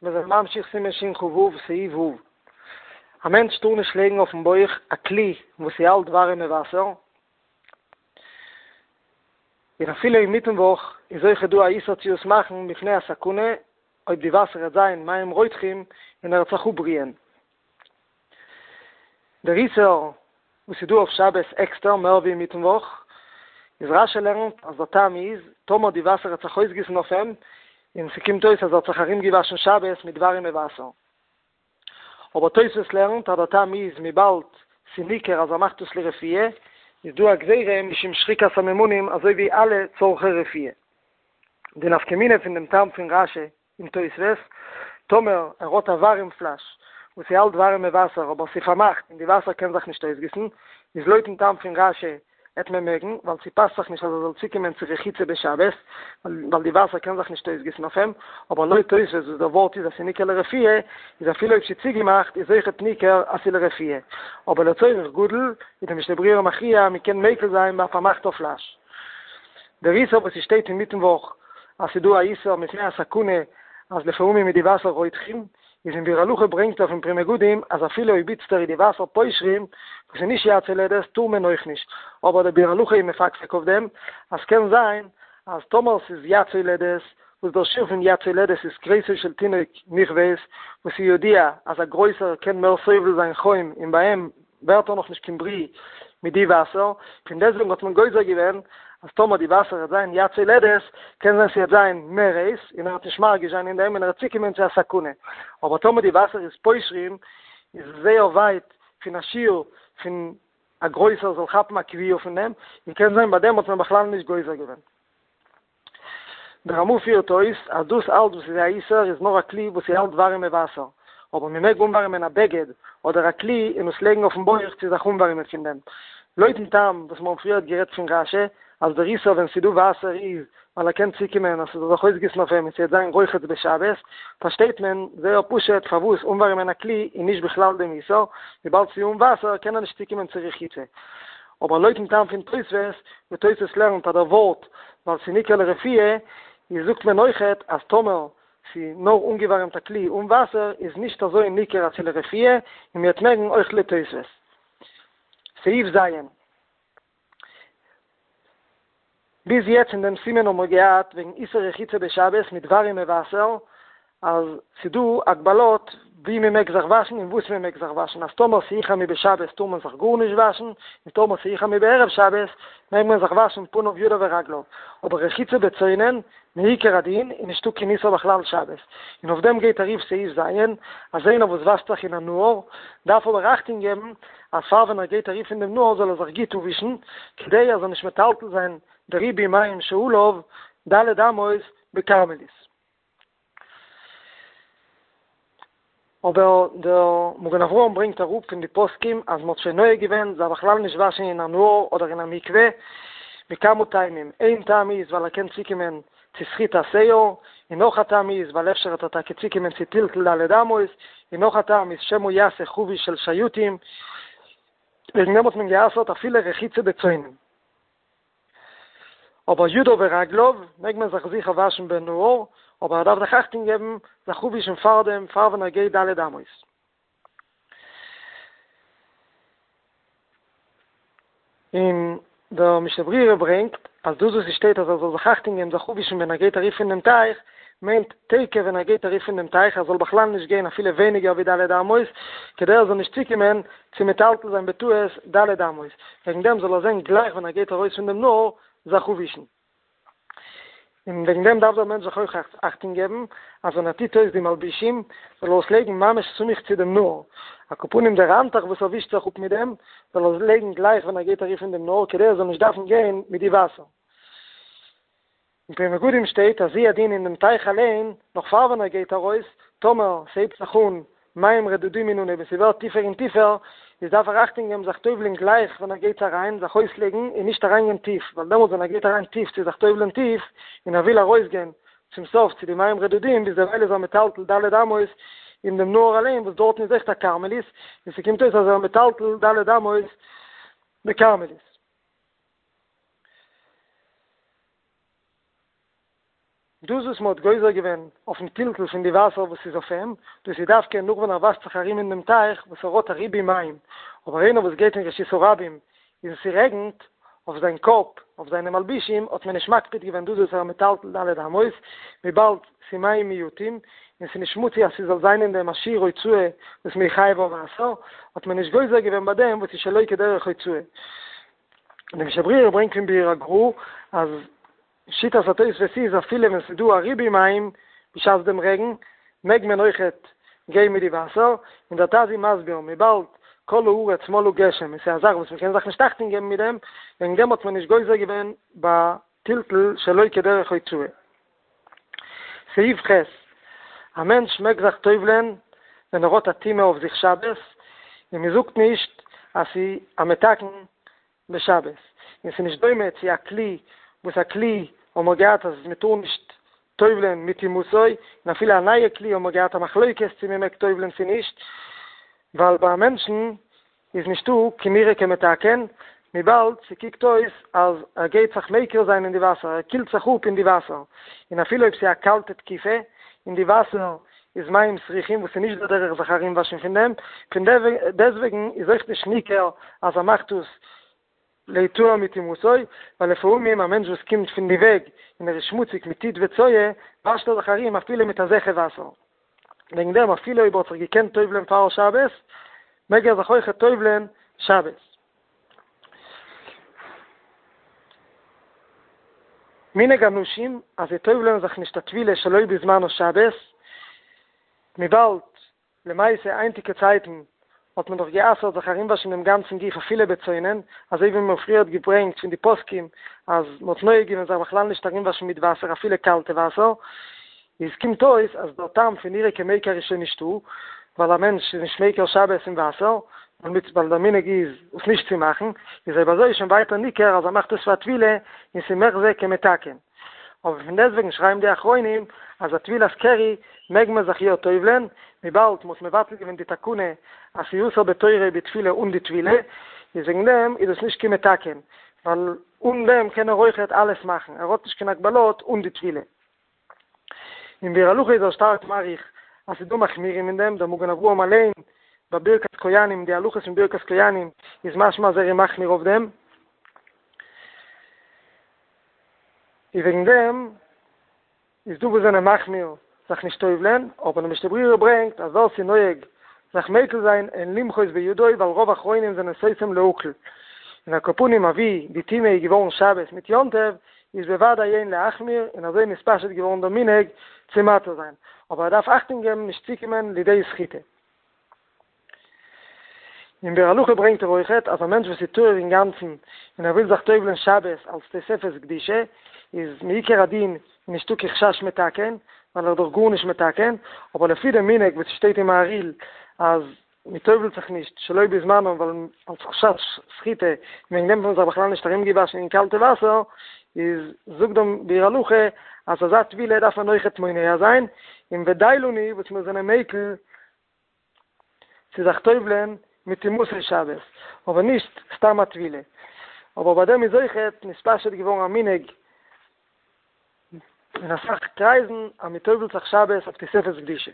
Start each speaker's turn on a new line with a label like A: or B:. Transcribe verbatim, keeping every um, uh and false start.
A: מיר זענען ממשיך סימן שכ"ו סעיף ו'. א מענטש טאר נישט לייגן אויפן בויך א כלי וואס ס'האלט ווארימע וואסער, און אפילו אינמיטן וואך איז אויכעט דא א איסור צו עס מאכן מפני הסכנה אויב די וואסער וועט זיין מים רותחים און ער וועט זיך אפבריען. דער איסור וואס איז דא אויף שבת עקסטער מער ווי אינמיטן וואך, איז רש"י לערנט אז דער טעם איז טאמער די וואסער וועט זיך אויסגיסן אויף אים און ס'קומט אויס אז ער האט זיך ארומגעוואשן שבת מיט ווארימע וואסער. אבער תוספות לערנט אז דער טעם איז וויבאלד ס'ניכר אז ער מאכט עס לרפואה, איז דא א גזירה משום שחיקת סממנים אזוי ווי אלע צורכי רפואה. די נפקא מינה פון דעם טעם פון רש"י און תוספות, טאמער ער האט א ווארים פלאש וואס ס'האלט ווארימע וואסער אבער ס'פארמאכט און די וואסער קען זיך נישט אויסגיסן, איז לויטן טעם פון רש"י עט מען מעגן, ווייל ס'פאסט זיך נישט אז ער זאל צוקומען צו רחיצה בשבת, ווייל די וואסער קען זיך נישט אויסגיסן אויף אים, אבער לויט תוספות וואס דער ווארט איז אז ס'ניכר לרפואה, איז אפילו אויב ס'צוגעמאכט איז אויכעט ניכר אז ס'לרפואה, אבער לצורך גדול איז די משנה ברורה מכריע מ'קען מיקל זיין ביי א פארמאכטער פלאש. דער איסור וואס ס'שטייט אינמיטן וואך אז ס'דא א איסור מפני הסכנה אז לפעמים איז די וואסער רותחים, איז אין ביאור הלכה ברענגט ער פון פרי מגדים אז אפילו אויב איצטער איז די וואסער פושרים וואס איז נישט יד יולדת טאר מען אויך נישט, אבער דער ביאור הלכה איז מפקפק אויף דעם אז קען זיין אז טאמער ס'איז יד יולדת וואס דער שיעור פון יד יולדת איז כריסו של תינוק נכווית וואס איז ידוע אז א גרויסער קען מער סובל זיין חום און ביי אים ווערט ער נאך נישט קיין ברי מיט די וואסער, פון דעסטוועגן האט מען גוזר געווען אז טאמער די וואסער וועט זיין יד יולדת, קען זיין ס'וועט זיין מער הייס און ער וועט נישט מרגיש זיין אין דעם און ער וועט צוקומען צו א סכנה, אבער טאמער די וואסער איז פושרים איז עס זייער ווייט פון א שיעור פון א גרויסער זאל כאפן א כוויה פון דעם, און קען זיין ביי דעם האט מען בכלל נישט גוזר געווען. דער רמ"א פירט אויס אז דאס אלץ וואס איז א איסור איז נאר א כלי וואס ס'האלט ווארימע וואסער, אבער מ'מעג אנווארימען א בגד אדער א כלי און עס לייגן אויפן בויך צו זיך אנווארימען פון דעם. לויטן טעם וואס מיר האבן פריערט גערעדט פון רש"י אז דער איסור ווען ס'דא וואסער איז ווייל ער קען צוקומען אז ס'זאל זיך אויסגיסן אויף אים און ס'וועט זיין רוחץ בשבת, פארשטייט מען זייער פשוט פארוואס אנווארימען א כלי איז נישט בכלל דעם איסור, וויבאלד ס'איז אן וואסער קען ער נישט צוקומען צו רחיצה. אבער לויטן טעם פון תוספות, וואו תוספות לערנט אז דער ווארט ווייל ס'איז ניכר לרפואה, איז זאגט מען אויכעט אז טאמער ס'איז נאר אנגעווארעמט א כלי אן וואסער איז נישט אזוי ניכר אז ס'איז לרפואה, און מ'וועט מעגן אויך לויט תוספות. סעיף ז'. ביז יעצט אין דעם סימן האבן מיר געהאט וועגן איסור רחיצה בשבת מיט ווארימע וואסער, אז ס'דא הגבלות ווי מ'מעג זיך וואשן און וואס מ'מעג זיך וואשן, אז טאמער ס'יחמו בשבת טאר מען זיך גארנישט וואשן, און טאמער ס'יחמו בערב שבת מעג מען זיך וואשן פניו ידיו ורגליו, אבער רחיצה בצונן מעיקר הדין איז נישטא קיין איסור בכלל שבת, און אויף דעם גייט ארויף סעיף ז', אז איינער וואס וואשט זיך אין א נהר דארף אבער אכטונג געבן אז פאר ווען ער גייט אריף אין דעם נהר זאל ער זיך גוט אפווישן, כדי ער זאל נישט מטלטל זיין די ריבוי מים שעליו ד' אמות בכרמלית. אבער דער מגן אברהם ברענגט אראפ פון די פוסקים אז מ'האט שוין נוהג געווען זיך בכלל נישט וואשן אין א נהר אדער אין א מקווה, מכמה טעמים, איין טעם איז ווייל ער קען צוקומען צו סחיט השער, און נאך א טעם איז ווייל אפשר וועט ער טאקע צוקומען צו טלטול ד' אמות, און נאך א טעם איז שמא יעשה חבית של שייטים, וועגן דעם האט מען גע'אסר'ט אפילו רחיצה בצונן. אבער ידיו ורגליו מעג מען זיך זיכער וואשן בנהר, אבער ער דארף זיך אכטונג געבן זיך אפווישן פארדעם פאר ווען ער גייט ד' אמות. און דער משנה ברורה ברענגט אז דאס וואס עס שטייט אז ער זאל זיך אכטונג געבן זיך אפווישן ווען ער גייט אריף פון דעם טייך, מיינט תיכף ווען ער גייט אריף פון דעם טייך ער זאל בכלל נישט גיין אפילו ווייניגער ווי ד' אמות, כדי ער זאל נישט צוקומען צו מטלטל זיין בטעות ד' אמות, וועגן דעם זאל ער זען גלייך ווען ער גייט ארויס פון דעם נהר זיך אפווישן. און וועגן דעם דארף דער מענטש זיך אויך אכטונג געבן אז ווען ער טוט אויס די מלבישים זאל ער עס לייגן ממש סמוך צו דעם נהר, על כל פנים דער האנטוך וואס ער ווישט זיך אפ מיט דעם זאל ער לייגן גלייך ווען ער גייט אריף אין דעם נהר כדי ער זאל נישט דארפן גיין מיט די וואסער. אין פרי מגדים שטייט אז הוא הדין אין דעם טייך אליין, נאך פאר ווען ער גייט ארויס, טאמער ס'הייבט זיך אן מים רדודים אין אנהייב און ס'ווערט טיפער און טיפער, איז דארף ער אכטונג געבן זיך טובל'ען גלייך ווען ער גייט אריין, זיך אויסלייגן און נישט אריינגיין טיף, ווייל דעמאלטס ווען ער גייט אריין טיף צו זיך טובל'ען טיף, און ער וויל ארויסגיין צום סוף צו די מים רדודים, ביז דערווייל איז ער מטלטל ד' אמות אין דעם נהר אליין וואס דארטן איז אויכעט א כרמלית, און ס'קומט אויס אז ער מטלטל ד' אמות בכרמלית. דאס וואס מ'האט גוזר געווען אויפן טלטול פון די וואסער וואס איז אויף אים, דאס איז דווקא נאך ווען ער וואשט זיך ארום אין דעם טייך וואס ער האט א ריבוי מים, אבער איינער וואס גייט אין רשות הרבים און ס'רעגנט אויף זיין קאפ, אויף זיינע מלבישים, האט מען נישט מקפיד געווען דאס וואס ער מטלטל ד' אמות, וויבאלד ס'מים מועטים, און ס'נישט מצוי אז ס'זאל זיין אין דעם א שיעור הוצאה וואס מ'איז חייב אויף וואסער, האט מען נישט גוזר געווען ביי דעם וואס איז שלא כדרך הוצאה. און די משנה ברורה ברענגט פון ביאור הגר"א אז שיטת התוספות איז אפילו ווען ס'איז דא א ריבוי מים בשעת דעם רעגן מעג מען אויכעט גיין מיט די וואסער, און דער ט"ז איז מסביר וויבאלד כל הארץ מלאה גשם און ס'איז א זאך וואס מ'קען זיך נישט אכטונג געבן מיט דעם, וועגן דעם האט מען נישט גוזר געווען ביי טלטול שלא כדרך הוצאה. סעיף ח', א מענטש מעג זיך טובל'ען ווען ער האט א טומאה אויף זיך שבת, און מ'זאגט נישט אז ס'איז א מתקן בשבת, און ס'איז נישט דומה צו א כלי, וואס א כלי האבן מיר געהאט אז מ'טאר נישט טובל'ען מטומאתו, און אפילו א נייע כלי האבן מיר געהאט א מחלוקת צו מ'מעג טובל'ען צו נישט, ווייל ביי א מענטשן איז נישטא קיין נראה כמתקן, וויבאלד ס'קוקט אויס אז ער גייט זיך מיקל זיין אין די וואסער, ער קילט זיך אפ אין די וואסער, און אפילו אויב ס'איז א קאלטע תקופה און די וואסער איז מים סרוחים וואס איז נישט דער דרך זיך ארומוואשן פון דעם, פון דעסוועגן איז אויך נישט ניכר אז ער מאכט עס להיטהר מטומאתו, ווייל לפעמים א מענטש וואס קומט פון די וועג און ער איז שמוציג מיט טיט וצואה, וואשט ער זיך ארום אפילו מיט אזעלכע וואסער. וועגן דעם אפילו אויב ער האט זיך געקענט טובל'ען פאר שבת, מעג ער זיך אויכעט טובל'ען שבת. מנהג הנשים אז זיי טובל'ען זיך נישט א טבילה שלא בזמנה שבת, וויבאלד למעשה היינטיגע צייטן האט מען דאך גע'אסר'ט זיך ארומוואשן דעם גאנצן גוף אפילו בצונן, אזוי ווי מ'האט פריערט געברענגט פון די פוסקים אז מ'האט נוהג געווען זיך בכלל נישט ארומוואשן מיט וואסער אפילו קאלטע וואסער, איז קומט אויס אז דער טעם פון נראה כמיקר איז שוין נישטא, ווייל א מענטש איז נישט מיקר שבת אין וואסער, ווייל דער מנהג איז עס נישט צו מאכן, איז אויב אזוי איז שוין ווייטער ניכר אז ער מאכט עס פאר א טבילה און ס'איז מחזי כמתקן. אבער פון דעסטוועגן שרייבן די אחרונים אז א טבילת קרי מעג מען זיך יא טובל'ען, וויבאלד מ'האט מבטל געווען די תקנה אז ס'איז אסור בתורה בטבילה אן די טבילה, איז וועגן דעם איז עס נישט קיין מתקן, ווייל אן דעם קען ער אויכעט אלעס מאכן, ער האט נישט קיין הגבלות אן די טבילה. אין ביאור הלכה איז ער שטארק מאריך אז ס'איז דא מחמירים אין דעם, דער מגן אברהם אליין ביי ברכת כהנים, די הלכות פון ברכת כהנים איז משמע אז ער איז מחמיר אויף דעם, איז וועגן דעם איז דא וואס זענען מחמיר זיך נישט טובל'ען, אבער די משנה ברורה ברענגט אז ווער ס'איז נוהג זיך מיקל זיין אין למחות בידו ווייל רוב אחרונים זענען סותם להקל, און על כל פנים אבי די טומאה איז געווארן שבת מיט יום טוב איז בוודאי אין להחמיר און אזוי נתפשט געווארן דער מנהג צו מתיר זיין, אבער ער דארף אכטונג געבן נישט צוקומען לידי סחיטה. אין ביאור הלכה ברענגט ער אויכעט אז א מענטש וואס איז טהור אינגאנצן און ער וויל זיך טובל'ען שבת אלס תוספת קדושה איז מעיקר הדין נישטא קיין חשש מתקן ווייל ער איז דאך גארנישט מתקן, אבער לפי די מנהג וואס שטייט אין מהרי"ל אז מען טובל'ט זיך נישט שלא בזמנו ווייל אלס חשש סחיטה און וועגן דעם האט מען זיך בכלל נישט ארומגעוואשן אין קאלטע וואסער, איז זאגט דער ביאור הלכה אז אזא טבילה דארף מען אויכעט מונע זיין, און ודי לנו וואס מיר זענען מיקל צו זיך טובל'ען מטומאתו שבת, אבער נישט סתם א טבילה. אבער ביי דעם איז אויכעט נתפשט געווארן א מנהג אין אסאך קרייזן אז מען טובל'ט זיך שבת אויף תוספת קדושה.